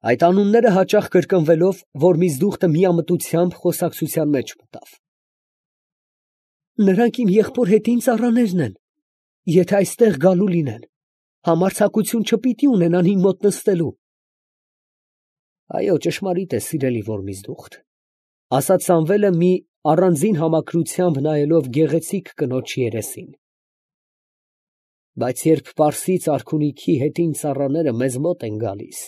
Այդ անունները հաճախ կրկնվելով, Որմիզդուխտը միամտությամբ խոսակցության մեջ մտավ։ Նրանք իմ եղբոր հետին ծառաներն են, եթե այստեղ գալու լինեն, համարձակություն չպիտի ունենան իմ մոտ նստելու։ Այո, ճշմարիտ է, սիրելի Որմիզդուխտ, ասաց Սամվելը մի առանձին համակրությամբ նայելով գեղեցիկ կնոջ երեսին։ Բայց երբ Պարսից արքունիքի հետին ծառաները մեզ մոտ են գալիս,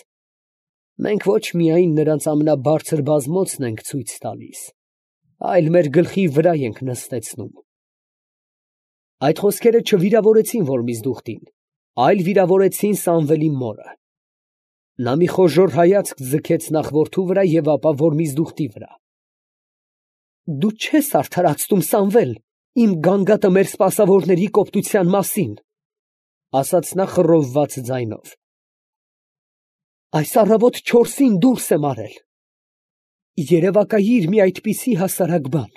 մենք ոչ միայն նրանց ամենաբարձր բազմոցն ենք ցույց տալիս, այլ մեր գլխի վրա ենք նստեցնում։ Այդ խոսքերը չվիրավորեցին Որմիզդուխտին, այլ վիրավորեցին Սամվելի մորը։ Նա մի խոժոռ հայացք ձգեց նախ որդու վրա և ապա Որմիզդուխտի վրա։ Դու չես արդարացնում, Սամվել, իմ գանգատը մեր սպասավորների կոպտության մասին, ասաց նա խռովված ձայնով։ Այս առավոտ 4-ին դուրս եմ արել։ Երևակայիր մի այդպիսի հասարակ բան։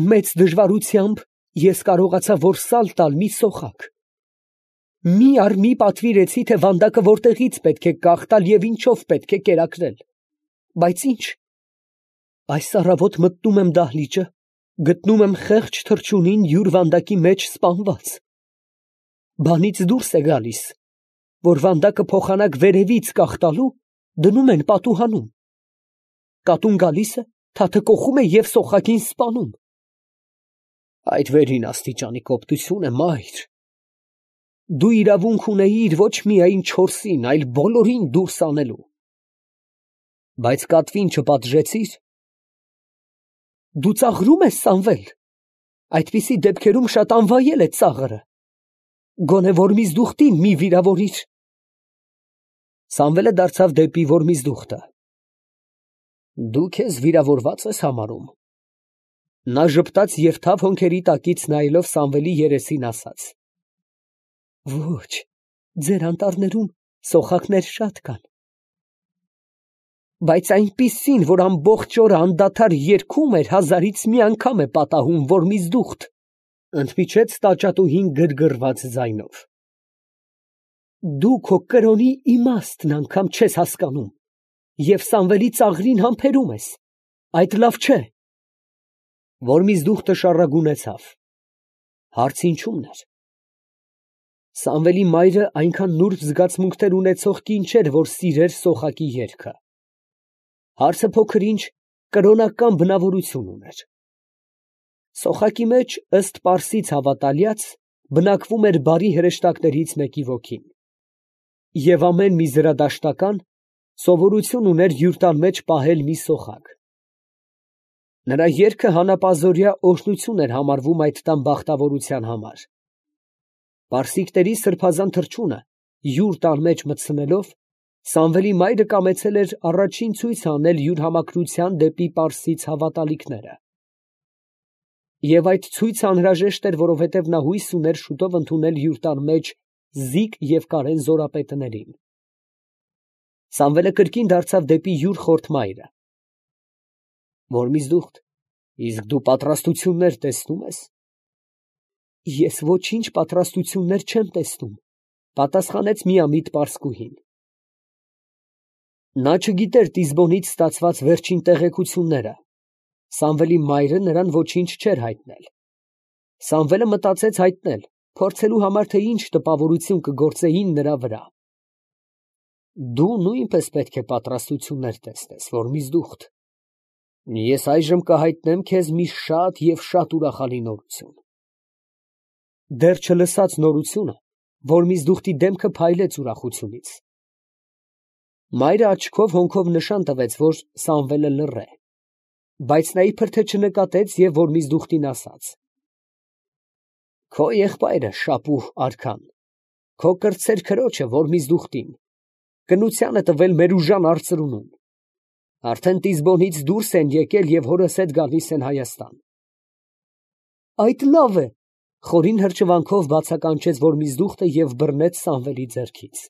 Մեծ դժվարությամբ ես կարողացա որսալ տալ մի սոխակ։ Մի առ մի պատվիրեցի, թե վանդակը որտեղից պետք է կախտալ և ինչով պետք է կերակրել։ Բայց ինչ։ Այս առավոտ մտնում եմ դահլիճը, գտնում եմ խեղճ թռչունին յուր վանդակի մեջ սպանված։ Բանից դուրս է գալիս, որ վանդակը փոխանակ վերևից կախտալու դնում են պատուհանում։ Կատուն գալիս է, թաթը կոխում է և սոխակին սպանում։ Այդ վերին աստիճանի կոպտություն է, մայր։ Դու իրավունք ունեիր ոչ միայն 4-ին, այլ բոլորին դուրս անելու։ Բայց կատվին չպատժեցի՞ր։ Դու ծաղրում ես, Սամվել։ Այդպիսի դեպքերում շատ անվայել է ծաղրը։ Գոնե Որմիզդուխտին մի վիրավորիր։ Սամվելը դարձավ դեպի Որմիզդուխտը։ Դու քեզ վիրավորված ես համարում։ Նա ժպտաց և թավ հոնքերի տակից նայելով Սամվելի երեսին ասաց. Ոչ, ձեր անտառներում սոխակներ շատ կան։ Բայց այնպիսին, որ ամբողջ օրը անդադար երգում էր, 1000-ից մի անգամ է պատահում, Որմիզդուխտ, ընդմիջեց տաճատուհին գրգռված ձայնով։ Դու քո կրոնի իմաստն անգամ չես հասկանում և Սամվելի ծաղրին համբերում ես։ Այդ լավ չէ։ Որմիզդուխտը շառագունեցավ։ Հարց ինչու՞մն էր։ Սամվելի մայրը այնքան նուրբ զգացմունքներ ունեցող կին չէր, որ սիրեր սոխակի երգը։ Հարցը փոքր-ինչ կրոնական բնավորություն ուներ։ Սոխակի մեջ, ըստ Պարսից հավատալյաց, բնակվում էր բարի հրեշտակներից մեկի ոգին։ Եվ ամեն մի զրադաշտական սովորություն ուներ յուր տան մեջ պահել մի սոխակ։ Նրա երգը հանապազօրյա օրհնություն էր համարվում այդ տան բախտավորության համար։ Պարսիկների սրբազան թռչունը յուր տան մեջ մտցնելով, Սամվելի մայրը կամեցել էր առաջին ցույց անել յուր համակրության դեպի պարսից հավատալիքները։ Եվ այդ ցույցը անհրաժեշտ էր, որովհետև նա հույս ուներ շուտով ընդունել յուր տան մեջ Զիկ և Կարեն զորապետներին։ Սամվելը կրկին դարձավ դեպի յուր խորթ մայրը։ Որմիզդուխտ, իսկ դու պատրաստություններ տեսնում ես։ Ես ոչինչ պատրաստություններ չեմ տեսնում, պատասխանեց միամիտ պարսկուհին։ Նա չգիտեր Տիզբոնից ստացված վերջին տեղեկությունները։ Սամվելի մայրը նրան ոչինչ չէր հայտնել։ Սամվելը մտածեց հայտնել, փորձելու համար, թե ինչ տպավորություն կգործեին նրա վրա։ Դու նույնպես պետք է պատրաստություններ տեսնես, Որմիզդուխտ։ Ես այժմ կհայտնեմ քեզ մի շատ և շատ ուրախալի նորություն։ Դեռ չլսած նորությունը Որմիզդուխտի դեմքը փայլեց ուրախությունից։ Մայրը աչքով հոնքով նշան տվեց, որ Սամվելը լռ է, բայց նա իբր թե չնկատեց և Որմիզդուխտին ասաց. Քո եղբայրը Շապուհ արքան, քո կրտսեր քրոջը Որմիզդուխտին, կնության է տվել մեր ուժան արծրունում։ Արդեն Տիզբոնից դուրս են եկել և հորս հետ գալիս են Հայաստան։ Այդ լավ է, խորին հրճվանքով բացականչեց Որմիզդուխտը և բռնեց Սամվելի ձեռքից։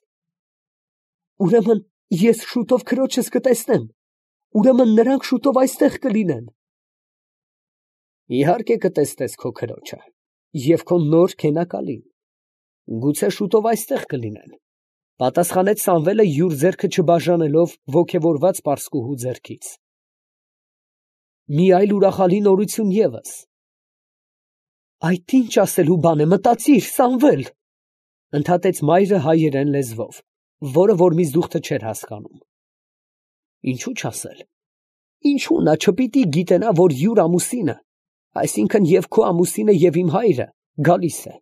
Ուրեմն ես շուտով քրոջս կտեսնեմ, ուրեմն նրանք շուտով այստեղ կլինեն։ Իհարկե կտեսնես քո քրոջը և քո նոր քենակալին, գուցե շուտով այստեղ կլինեն, Պատասխանեց Սամվելը յուր ձեռքը չբաժանելով ոգևորված պարսկուհու ձեռքից։ Մի այլ ուրախալի նորություն ևս։ Այդ ինչ ասելու բան է, մտածիր, Սամվել, ընդհատեց մայրը հայերեն լեզվով, որը Որմիզդուխտը չէր հասկանում։ Ինչու չասել։ Ինչու նա չպիտի գիտենա, որ յուր ամուսինը, այսինքն և քո ամուսինը և իմ հայրը, գալիս է։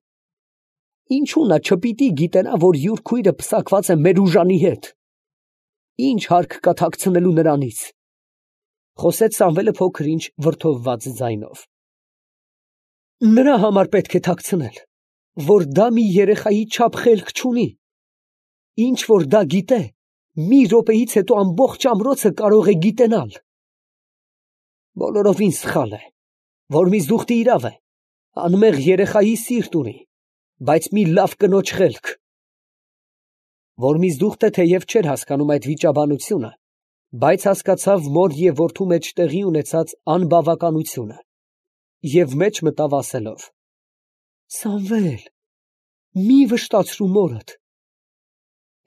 Ինչու նա չպիտի գիտենա, որ յուր քույրը պսակված է մեր ուժանի հետ։ Ինչ հարկ կա թաքցնելու նրանից։ Խոսեց Սամվելը փոքր-ինչ վրդովված ձայնով։ Նրա համար պետք է թաքցնել, որ դա մի երեխայի չափ խելք չունի։ Ինչ որ դա գիտե, մի րոպեից հետո ամբողջ ամրոցը կարող է գիտենալ։ Բոլորովին սխալ է, Որմիզդուխտը իրավ է, անմեղ երեխայի սիրտ ունի, բայց մի լավ կնոջ խելք։ Որմիզդուխտը թեև չէր հասկանում այդ վիճաբանությունը, բայց հասկացավ մոր և որդու մեջ տեղի ունեցած անբավականությունը և մեջ մտավ ասելով. Սամվել, մի վշտացրու մորդ։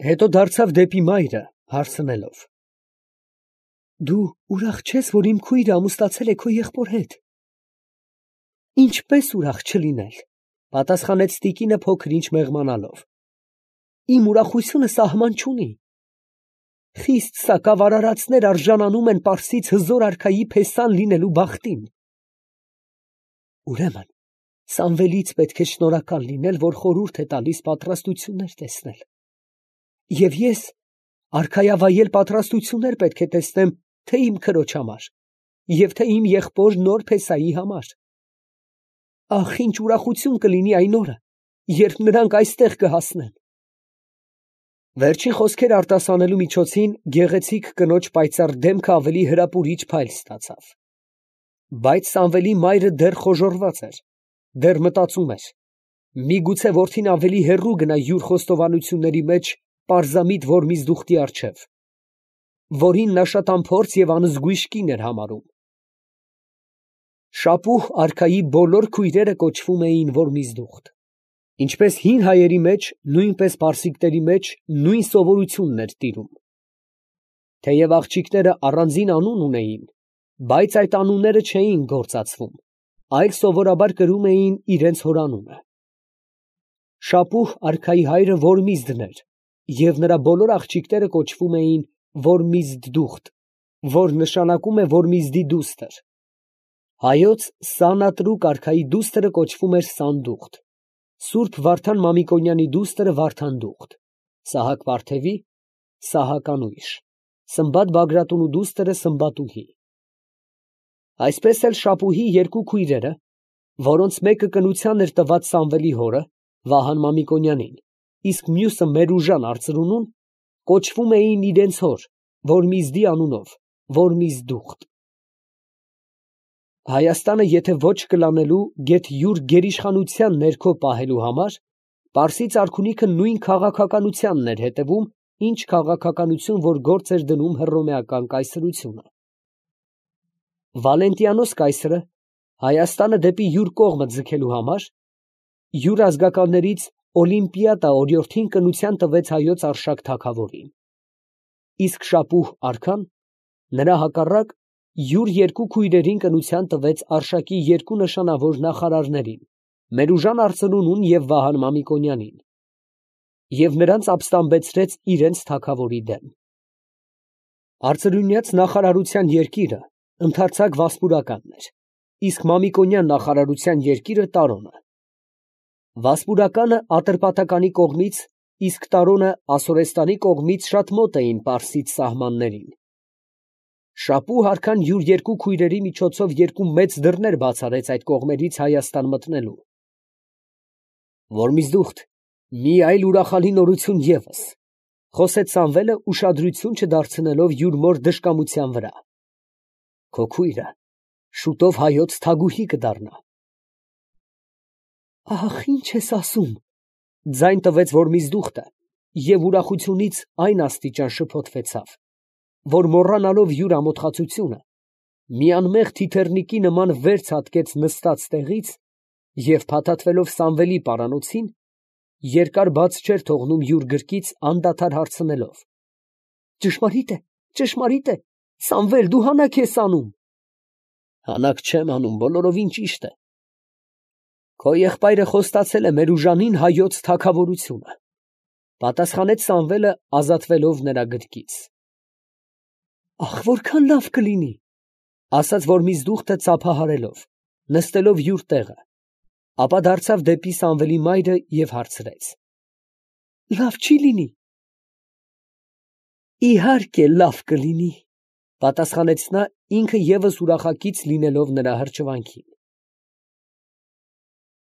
Հետո դարձավ դեպի մայրը, հարցնելով. Դու ուրախ չես, որ իմ քույրը ամուսնացել է քո եղբոր հետ։ Ինչպես ուրախ չլինել, պատասխանեց տիկինը փոքր-ինչ մեղմանալով։ Իմ ուրախությունը սահման չունի։ Խիստ սակավ արարածներ արժանանում են պարսից հզոր արքայի փեսան լինելու բախտին։ Ուրեմն Սամվելից պետք է շնորհակալ լինել, որ խորհուրդ է տալիս պատրաստություններ տեսնել։ Եվ ես արքայավայել պատրաստություններ պետք է տեսնեմ թե իմ քրոջ համար, և թե իմ եղբոր նոր փեսայի համար։ Ախ, ինչ ուրախություն կլինի այն օրը, երբ նրանք այստեղ կհասնեն։ Վերջին խոսքերը արտասանելու միջոցին գեղեցիկ կնոջ պայծառ դեմքը ավելի հրապուրիչ փայլ ստացավ։ Բայց Սամվելի մայրը դեռ խոժոռված էր, դեռ մտածում էր. միգուցե որդին ավելի հեռու գնա յուր խոստովանությունների մեջ պարզամիտ Որմիզդուխտի առջև, որին նա շատ անփորձ և անզգույշ կին էր համարում։ Շապուհ արքայի բոլոր քույրերը կոչվում էին Որմիզդուխտ։ Ինչպես հին հայերի մեջ, նույնպես պարսիկների մեջ նույն սովորությունն էր տիրում։ Թեև աղջիկները առանձին անուն ունեին, բայց այդ անունները չէին գործածվում, այլ սովորաբար կրում էին իրենց հորանունը։ Շապուհ արքայի հայրը Որմիզդն էր, և նրա բոլոր աղջիկները կոչվում էին Որմիզդուխտ, որ նշանակում է Որմիզդի դուստր։ Հայոց Սանատրուկ արքայի դուստրը կոչվում էր Սանդուղտ, Սուրբ Վարդան Մամիկոնյանի դուստրը Վարդանդուղտ, Սահակ Վարդևի Սահականույշ, Սմբատ Բագրատունու դուստրը Սմբատուհի։ Այսպես էլ Շապուհի երկու քույրերը, որոնց մեկը կնության էր տված Սամվելի հորը, Վահան Մամիկոնյանին, իսկ մյուսը Մերուժան արծրունուն, կոչվում էին իրենց հոր, Որմիզդի անունով, Որմիզդուխտ։ Հայաստանը եթե ոչ կլանելու, գեթ յուր գերիշխանության ներքո պահելու համար, Պարսից արքունիքը նույն քաղաքականությանն էր հետևում, ինչ քաղաքականություն, որ գործ էր դնում հռոմեական կայսրությունը։ Վալենտիանոս կայսրը Հայաստանը դեպի յուր կողմը ձգելու համար, յուր ազգականներից Օլիմպիադա օրիորդին կնության տվեց հայոց Արշակ թագավորին։ Իսկ Շապուհ արքան նրա հակառակ յուր երկու քույրերին կնության տվեց Արշակի երկու նշանավոր նախարարներին, Մերուժան արծրունուն և Վահան Մամիկոնյանին, և նրանց ապստամբեցրեց իրենց թագավորի դեմ։ Արծրունյաց նախարարության երկիրը ընդարձակ Վասպուրականն էր, իսկ Մամիկոնյան նախարարության երկիրը Տարոնը։ Վասպուրականը Ատրպատականի կողմից, իսկ Տարոնը Ասորեստանի կողմից շատ մոտ էին պարսից սահմաններին։ Շապուհ արքան յուր երկու քույրերի միջոցով երկու մեծ դռներ բացարեց այդ կողմերից Հայաստան մտնելու։ Որմիզդուխտ, մի այլ ուրախալի նորություն ևս, խոսեց Սամվելը ուշադրություն չդարձնելով յուր մոր դժկամության վրա։ Քո քույրը շուտով հայոց թագուհի կդառնա։ Ահ, ինչ ես ասում, ձայն տվեց Որմիզդուխտը և ուրախությունից այն աստիճան շփոթվեցավ, որ մոռանալով յուր ամոթխածությունը, մի անմեղ թիթեռնիկի նման վեր ցատկեց նստած տեղից և փաթաթվելով Սամվելի պարանոցին, երկար բաց չէր թողնում յուր գրկից անդադար հարցնելով. Ճշմարիտ է, Սամվել, դու հանաք ես անում։ Հանաք չեմ անում, բոլորովին ճիշտ է։ Քո եղբայրը խոստացել է մեր ուժանին հայոց թագավորությունը, պատասխանեց Սամվելը, ազատվելով նրա գրկից։ Ախ, որքան լավ կլինի, ասաց որ միզդուխտը ծափահարելով, նստելով յուր տեղը, ապա դարձավ դեպի Սամվելի մայրը և հարցրեց. Լավ չի լինի։ Իհարկե լավ կլինի, պատասխանեց նա, ինքը ևս ուրախակից լինելով նրա հրճվանքին։